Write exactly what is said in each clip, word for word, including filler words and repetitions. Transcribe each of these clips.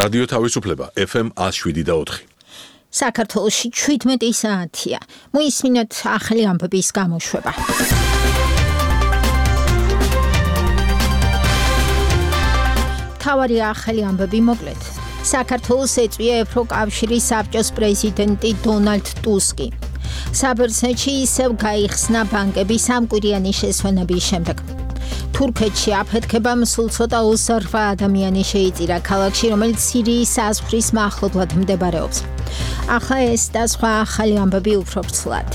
რადიო თავისუფლება F M one oh seven და four. საქართველოში შვიდმეტი საათია. მოისმინოთ ახალი ამბების გამოშვება. თავარი ახალი ამბები მოკლედ. საქართველოს ეწვია ევროკავშირის საბჭოს პრეზიდენტი დონალდ ტუსკი. საბერძნეთში ისევ გაიხსნა ბანკები სამკვირიანი შესვენების შემდეგ. თურქეთში აფეთქება სულ ცოტა ოცდაოთხ ადამიანი შეიწირა ქალაქში, რომელიც სირიის საზღვრის მახლობლად მდებარეობს. ახლა ეს და სხვა ახალი ამბები უფრო ვრცლად.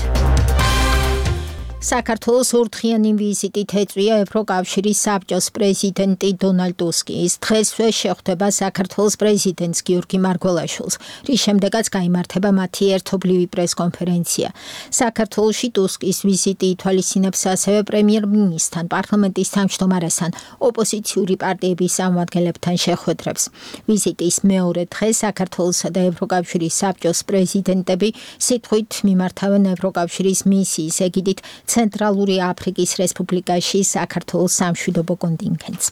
საქართველოს ორდღიანი ვიზიტით ეწვია ევროკავშირის საბჭოს პრეზიდენტი დონალდ ტუსკი. ის დღესვე შეხვდება საქართველოს პრეზიდენტს გიორგი მარგველაშვილს, რის შემდეგაც გაიმართება მათი ერთობლივი პრესკონფერენცია. საქართველოში ტუსკის ვიზიტი ითვალისწინებს ასევე პრემიერ-მინისტრთან, პარლამენტის თავმჯდომარესთან, ოპოზიციური პარტიების წარმომადგენლებთან შეხვედრებს. ვიზიტის მეორე დღე საქართველოსა და ევროკავშირის საბჭოს პრეზიდენტები სიტყვით მიმართავენ ევროკავშირის მისიის ეგიდით ცენტრალური აფრიკის რესპუბლიკაში საქართველოს სამშვიდობო კონტინგენტს.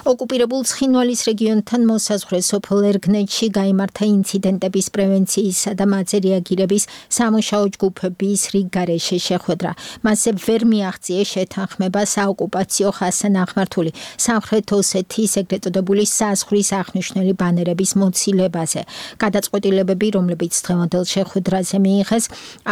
ოკუპირებულ ცხინვალის რეგიონთან მოსაზღვრე სოფელ ერგნეთში გაიმართა ინციდენტების პრევენციისა და მათზე რეაგირების სამუშაო ჯგუფების რიგ გარეშე შეხვედრა. მასზე ვერ მიაღწიეს შეთანხმება საოკუპაციო ხასთან აღმართული სამხრეთ ოსეთის ეგრეთ წოდებული საზღვრის აღნიშნული ბანერების მოცილებაზე. გადაწყვეტილებები, რომლებიც დღევანდელ შეხვედრაზე მიიღეს,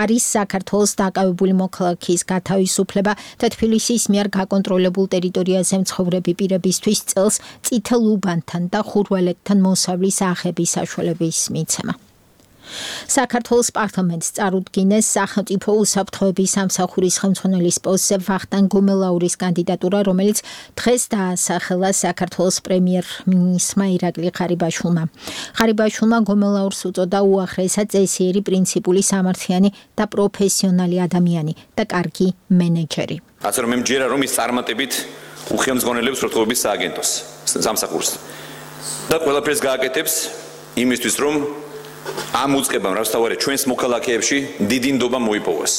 არის საქართველოს დაკავებული მოქალაქის გათავისუფლება და თბილისის მიერ გაკონტროლებულ ტერიტორიაზე მცხოვრები პირებისთვის წელს წითელ უბანთან და ხურვალეთთან მოსავლის აღების საშუალების მიცემა. საქართველოს პარლამენტს წარუდგინეს სახელმწიფო უსაფრთხოების სამსახურის ხელმძღვანელის პოსტზე ვახტანგ გომელაურის კანდიდატურა, რომელიც დღეს დაასახელა საქართველოს პრემიერ-მინისტრმა ირაკლი ღარიბაშვილმა. ღარიბაშვილმა გომელაურს უწოდა უაღრესად წესიერი, პრინციპული, სამართლიანი და პროფესიონალი ადამიანი და კარგი მენეჯერი. ასე რომ მე მჯერა რომ ის წარმატებით უხელმძღვანელებს უსაფრთხოების სააგენტოს სამსახურს და ყველაფერს გააკეთებს იმისთვის რომ ამ უწყებამ რასთავარი ჩვენს მოქალაქეებში დიდი ნდობა მოიპოვოს.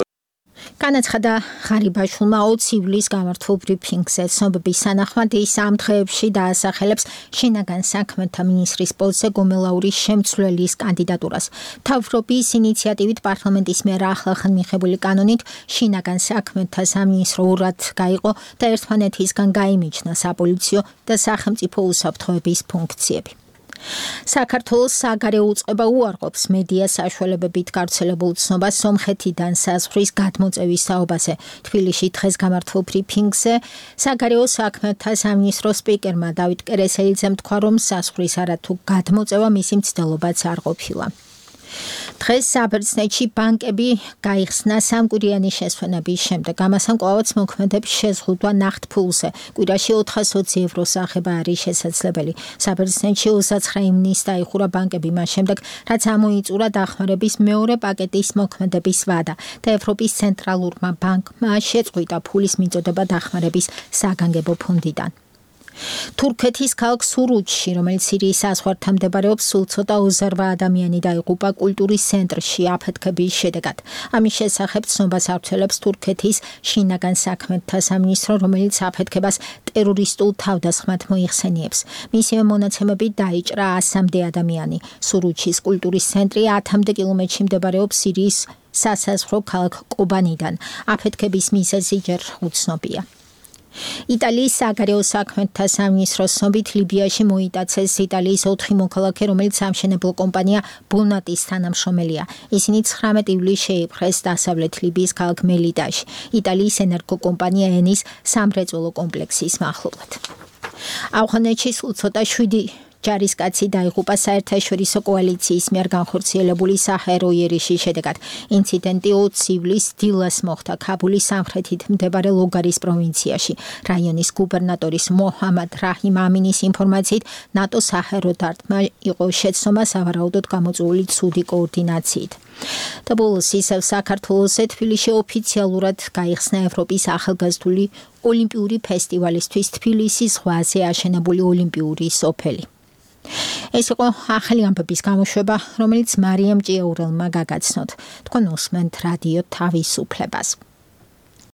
განაცხადა ღარიბაშვილმა ოცი ივლისს გამართულ ბრიფინგზე. ცნობების თანახმად ის ამ დღეებში დაასახელებს შინაგან საქმეთა მინისტრის პოსტზე გომელაურის შემცვლელის კანდიდატურას. თავრობის ინიციატივით პარლამენტის მიერ ახლახან მიღებული კანონით შინაგან საქმეთა სამინისტრო ურად გაიყო და ერთმანეთისგან გაიმიჯნა საპოლიციო და სახელმწიფო უსაფრთხოების ფუნქციები. საქართველოს საგარეო უწყება უარყოფს მედია საშუალებებით გავრცელებულ ცნობას სომხეთიდან საზღვრის გადმოწევის საუბაზე. თბილისში დღეს გამართულ ბრიფინგზე საგარეო საქმეთა სამინისტროს სპიკერმა დავით კერესელიძემ თქვა, რომ საზღვრის არათუ გადმოწევა მისი მცდელობაც არ ყოფილა. დღეს საბერძნეთში ბანკები გაიხსნა სამკვირიანი შესვენების შემდეგ. ამასთან კვლავაც მოქმედებს შეზღუდვა ნახტფულზე. კვირაში ოთხას ოცი ევროს აღება არის შესაძლებელი. საბერძნეთში ოცდათვრამეტი ივნისს დაიხურა ბანკები მას შემდეგ, რაც ამოიწურა დახმარების მეორე პაკეტის მოქმედების ვადა და ევროპის ცენტრალურმა ბანკმა შეწყვიტა ფულის მიწოდება დახმარების საგანგებო ფონდიდან. თურქეთის ქალაქ სურუჩში, რომელიც სირიის საზღვართან მდებარეობს, სულ ცოტა ოცდაოთხ ადამიანი დაიღუპა კულტურის ცენტრში აფეთქების შედეგად. ამის შესახებ ცნობას ავრცელებს თურქეთის შინაგან საქმეთა სამინისტრო, რომელიც აფეთქებას ტერორისტულ თავდასხმად მოიხსენიებს. მისივე მონაცემებით დაიჭრა ასამდე ადამიანი. სურუჩის კულტურის ცენტრი ათამდე კილომეტრში მდებარეობს სირიის სასაზღვრო ქალაქ კობანიდან. აფეთქების მიზეზი ჯერ უცნობია. იტალიის საგარეო საქმეთა სამინისტროს ცნობით ლიბიაში მოიტაცეს იტალიის ოთხი მოქალაქე, რომელიც სამშენებლო კომპანია ბონატის თანამშრომელია. ისინი ცხრამეტი ივლისს შეიპყრეს დასავლეთ ლიბიის ქალაქ მელიტაში, იტალიის ენერგოკომპანია ენის სამრეწველო კომპლექსის მახლობლად. ავღანეთში სულ ცოტა შვიდი ჯარისკაცი დაიღუპა საერთაშორისო კოალიციის მიერ განხორციელებული საჰაერო იერიშის შედეგად. ინციდენტი ოცი ივლისს დილას მოხდა ქაბულის სამხრეთით მდებარე ლოგარის პროვინციაში. რაიონის გუბერნატორის მოჰამად რაჰიმ ამინის ინფორმაციით, ნატო საჰაერო დარტყმა იყო შეცდომა სავარაუდოდ გამოწვეული ცუდი კოორდინაციით. და ბოლოს ისევ საქართველოსზე თბილისში ოფიციალურად გაიხსნა ევროპის ახალგაზრდული ოლიმპიური ფესტივალისთვის თბილისის ზღვაზე აშენებული ოლიმპიური სოფელი. ეს იყო ახალი ამბების გამოშვება, რომელიც მარიამ ჭიაურელმა გაგაცნოთ. თქვენ უსმენთ რადიო თავისუფლებას.